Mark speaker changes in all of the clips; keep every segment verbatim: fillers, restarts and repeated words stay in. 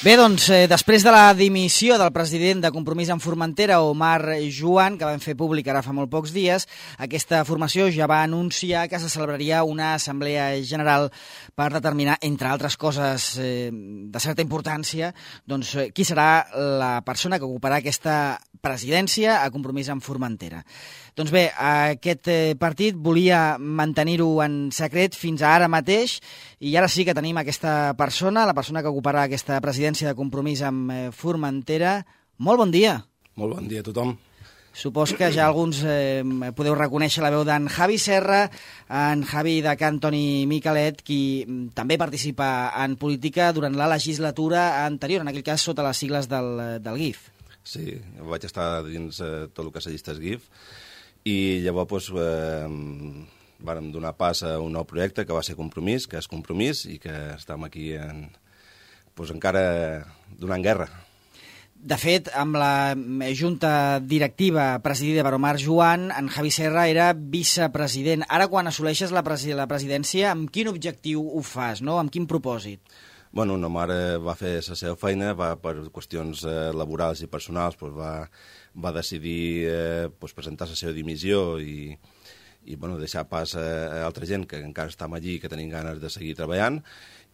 Speaker 1: Bé, doncs, eh, després de la dimissió del president de Compromís en Formentera, Omar Joan, que van fer públic ara fa molt pocs dies, aquesta formació ja va anunciar que se celebraria una assemblea general per determinar, entre altres coses eh, de certa importància, doncs, eh, qui serà la persona que ocuparà aquesta presidència a Compromís en Formentera. Doncs bé, aquest eh, partit volia mantenir-ho en secret fins a ara mateix i ara sí que tenim aquesta persona, la persona que ocuparà aquesta presidència de Compromís amb eh, Formentera. Molt bon dia.
Speaker 2: Molt bon dia a tothom.
Speaker 1: Supos que ja alguns eh, podeu reconèixer la veu d'en Javi Serra, en Javi de Can Toni Miquelet, qui també participa en política durant la legislatura anterior, en aquell cas sota les sigles del, del G I F.
Speaker 2: Sí, vaig estar dins eh, tot el que és llistes G I F i llavors doncs, eh, vàrem donar pas a un nou projecte que va ser Compromís, que és Compromís i que estem aquí en, doncs, encara donant guerra.
Speaker 1: De fet, amb la junta directiva presidida per Omar Joan, en Javi Serra era vicepresident. Ara, quan assoleixes la, presi la presidència, amb quin objectiu ho fas, no? Amb quin propòsit?
Speaker 2: Bueno, Omar eh, va fer la seva feina, va per qüestions eh, laborals i personals, doncs va, va decidir eh, doncs presentar la seva dimissió i, i bueno, deixar pas a, a altra gent que encara estem allí i que tenim ganes de seguir treballant.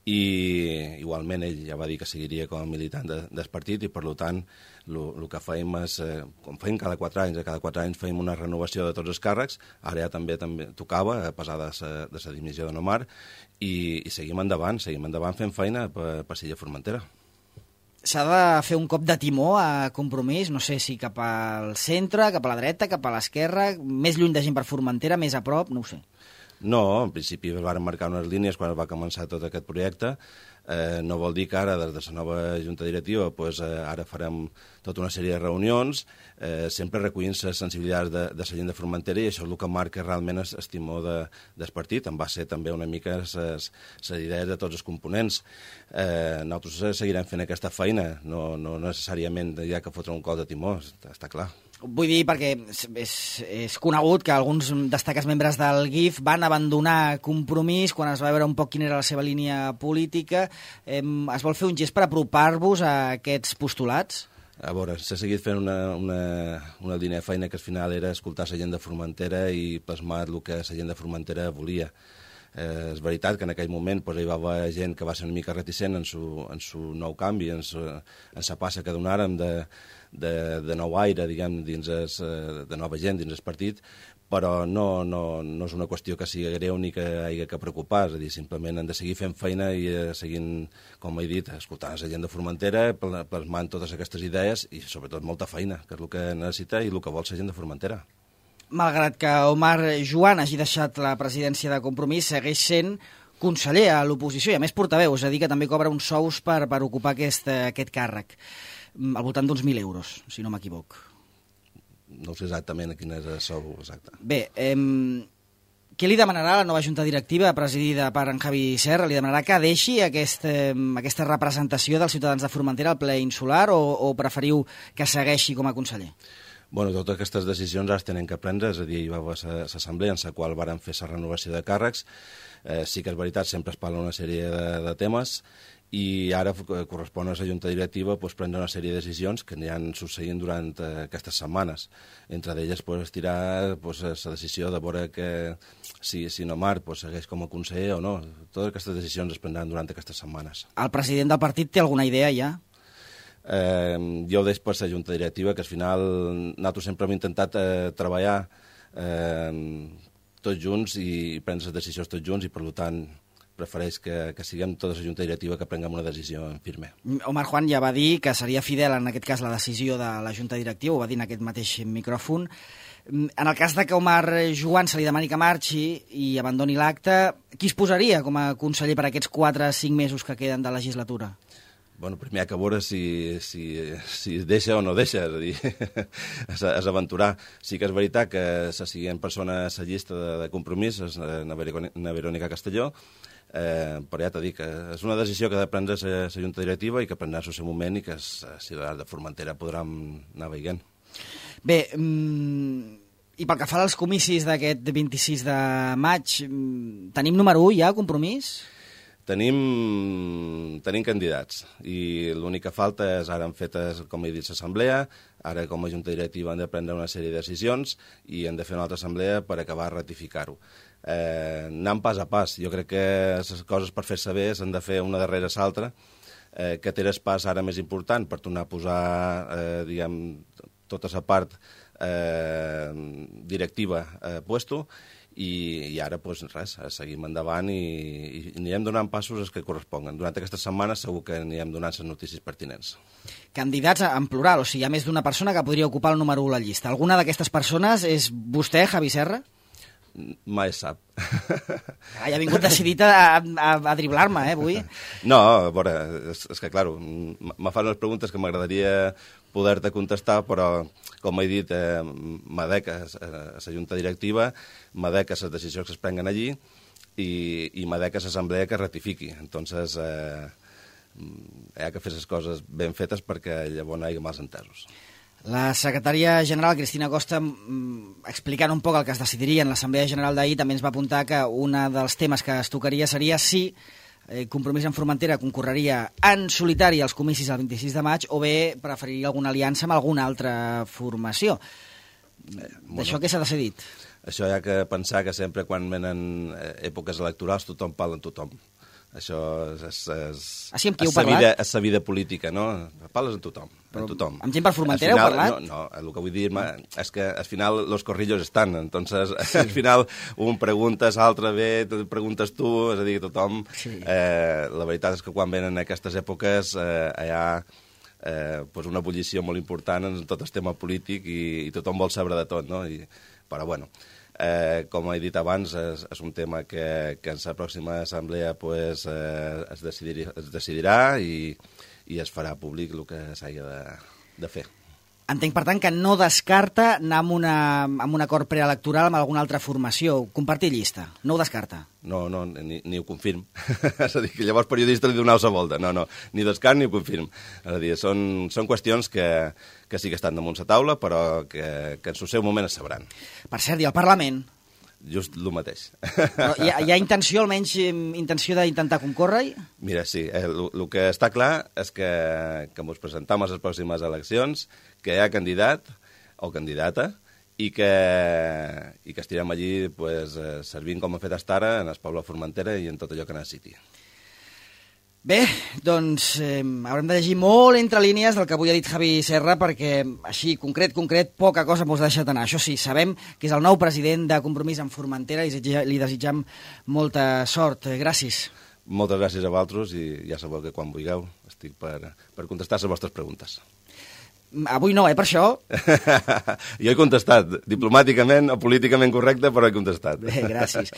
Speaker 2: I igualment ell ja va dir que seguiria com a militant de, del partit i per tant el que fèiem és, eh, com fèiem cada quatre anys, cada quatre anys fèiem una renovació de tots els càrrecs, ara ja també també tocava, a pesar de la dimissió de Omar, i, i seguim endavant, seguim endavant fent feina per, per Silla Formentera.
Speaker 1: S'ha de fer un cop de timó a Compromís, no sé si cap al centre, cap a la dreta, cap a l'esquerra, més lluny de gent per Formentera, més a prop, no ho sé.
Speaker 2: No, en principi es van marcar unes línies quan va començar tot aquest projecte. Eh, no vol dir que ara, des de la nova junta directiva, pues, eh, ara farem tota una sèrie de reunions, eh, sempre recollint les sensibilitats de, de la gent de Formentera, i això és el que marca realment el timó de, del partit. En va ser també una mica les idees de tots els components. Eh, nosaltres seguirem fent aquesta feina, no, no necessàriament hi ha que fotre un cop de timó, està, està clar.
Speaker 1: Vull dir, perquè és, és conegut que alguns destacats membres del G I F van abandonar Compromís quan es va veure un poc quina era la seva línia política. Eh, es vol fer un gest per apropar-vos a aquests postulats?
Speaker 2: A veure, s'ha seguit fent una, una, una línia de feina que al final era escoltar la gent de Formentera i plasmar el que la gent de Formentera volia. Eh, és veritat que en aquell moment pues, hi va haver gent que va ser una mica reticent en su, en su nou canvi, en la passa que donàrem de, de, de nou aire, diguem, dins es, de nova gent dins el partit, però no, no, no és una qüestió que sigui greu ni que hi hagi que preocupar, és a dir, simplement hem de seguir fent feina i eh, seguint, com he dit, escoltant la gent de Formentera, plasmant totes aquestes idees i sobretot molta feina, que és el que necessita i el que vol la gent de Formentera.
Speaker 1: Malgrat que Omar Joan hagi deixat la presidència de Compromís, segueix sent conseller a l'oposició i a més portaveu, és a dir, que també cobra uns sous per, per ocupar aquest, aquest càrrec, al voltant d'uns mil euros, si no m'equivoc.
Speaker 2: No sé exactament a quin és el sou exacte.
Speaker 1: Bé, eh, què li demanarà la nova junta directiva presidida per en Javi Serra? Li demanarà que deixi aquest, eh, aquesta representació dels ciutadans de Formentera al ple insular o, o preferiu que segueixi com a conseller?
Speaker 2: Bueno, totes aquestes decisions ara es tenen que prendre, és a dir, hi va haver l'assemblea en la qual varen fer la renovació de càrrecs. Eh, sí que és veritat, sempre es parla una sèrie de, de temes i ara correspon a la junta directiva pues, prendre una sèrie de decisions que aniran succeint durant eh, aquestes setmanes. Entre d'elles pues, estirar pues, la decisió de veure que si, si Omar pues, segueix com a conseller o no. Totes aquestes decisions es prendran durant aquestes setmanes.
Speaker 1: El president del partit té alguna idea ja?
Speaker 2: Eh, jo ho deix per la junta directiva, que al final nosaltres sempre hem intentat eh, treballar eh, tots junts i prendre les decisions tots junts i per tant prefereix que, que siguem tota la junta directiva que prenguem una decisió en firme.
Speaker 1: Omar Juan ja va dir que seria fidel en aquest cas la decisió de la junta directiva, ho va dir en aquest mateix micròfon. En el cas de que Omar Joan se li demani que marxi i abandoni l'acte, qui es posaria com a conseller per aquests quatre o cinc mesos que queden de legislatura?
Speaker 2: Bueno, primer hi ha que veure si, si, si deixa o no deixa, és a dir, és, és aventurar. Sí que és veritat que la següent persona a la llista de, de Compromís és na Verònica Castelló, eh, però ja t'he dit que és una decisió que ha de prendre la junta directiva i que prendrà el seu moment i que els ciutadans de Formentera podran anar veient.
Speaker 1: Bé, mm, i pel que fa als comicis d'aquest vint-i-sis de maig, tenim número u ja, Compromís?
Speaker 2: Tenim, tenim candidats i l'únic que falta és, ara han fet, com he dit, l'assemblea, ara com a junta directiva han de prendre una sèrie de decisions i han de fer una altra assemblea per acabar de ratificar-ho. Eh, anant pas a pas, jo crec que les coses per fer-se bé s'han de fer una darrere l'altra, eh, que té el pas ara més important per tornar a posar, eh, diguem, tota la part eh, directiva a eh, puesto. I, i ara, doncs res, seguim endavant i, i anirem donant passos els que corresponguen. Durant aquestes setmanes segur que anirem donant les notícies pertinents.
Speaker 1: Candidats en plural, o sigui, hi ha més d'una persona que podria ocupar el número u a la llista. Alguna d'aquestes persones és vostè, Javi Serra?
Speaker 2: Mai es sap.
Speaker 1: Ah, ja ha vingut decidit a, a, a driblar-me, eh, avui.
Speaker 2: No, a veure, és, és que, clar, me fan unes preguntes que m'agradaria poder-te contestar, però, com he dit, eh, m'adec a la junta directiva, m'adec a les decisions que es prenguen allí i, i m'adec a l'assemblea que ratifiqui. Entonces, eh, hi ha que fer les coses ben fetes perquè llavors no hi hagi mals entesos.
Speaker 1: La secretària general, Cristina Costa, explicant un poc el que es decidiria en l'Assemblea General d'ahir, també ens va apuntar que un dels temes que es tocaria seria si eh, Compromís en Formentera concorreria en solitari als comicis el vint-i-sis de maig o bé preferiria alguna aliança amb alguna altra formació. Eh, D'això què s'ha decidit?
Speaker 2: Això hi ha que pensar que sempre quan venen èpoques electorals tothom parla amb tothom. Això és, és, és,
Speaker 1: ah, sí, amb qui heu
Speaker 2: és,
Speaker 1: parlat?
Speaker 2: vida, és la vida política, no? Parles amb tothom.
Speaker 1: Però
Speaker 2: amb tothom.
Speaker 1: Amb gent per Formentera heu parlat?
Speaker 2: No, no, el que vull dir és que al final los corrillos estan, entonces sí. Al final un preguntes, l'altre ve, preguntes tu, és a dir, tothom... Sí. Eh, la veritat és que quan venen aquestes èpoques eh, hi ha eh, pues una ebullició molt important en tot el tema polític i, i tothom vol saber de tot, no? I, però bueno... Eh, com he dit abans, és, és un tema que, que en la pròxima assemblea pues, eh, es, decidir, es decidirà i, i es farà públic el que s'hagi de, de fer.
Speaker 1: Entenc, per tant, que no descarta anar amb, una, amb un acord preelectoral amb alguna altra formació, compartir llista. No ho descarta?
Speaker 2: No, no, ni, ni ho confirm. És a dir, que llavors periodista li donau la volta. No, no, ni descart ni ho confirm. És a dir, són, són qüestions que, que sí que estan damunt la taula, però que, que en el seu moment es sabran.
Speaker 1: Per cert, i al Parlament?
Speaker 2: Just el mateix.
Speaker 1: Però hi, ha, hi ha intenció, almenys intenció d'intentar concórrer-hi?
Speaker 2: Mira, sí, el eh, que està clar és que, que ens presentam a les pròximes eleccions, que hi ha candidat o candidata i que, i que estirem allí pues, eh, servint com hem fet fins ara en el poble de Formentera i en tot allò que necessiti.
Speaker 1: Bé, doncs eh, haurem de llegir molt entre línies del que avui ha dit Javi Serra perquè així, concret, concret, poca cosa mos ha deixat anar. Això sí, sabem que és el nou president de Compromís en Formentera i li desitjam molta sort. Gràcies.
Speaker 2: Moltes gràcies a vosaltres i ja sabeu que quan vulgueu estic per, per contestar les vostres preguntes.
Speaker 1: Avui no, eh, per això.
Speaker 2: Jo he contestat, diplomàticament o políticament correcte, però he contestat.
Speaker 1: Bé, gràcies.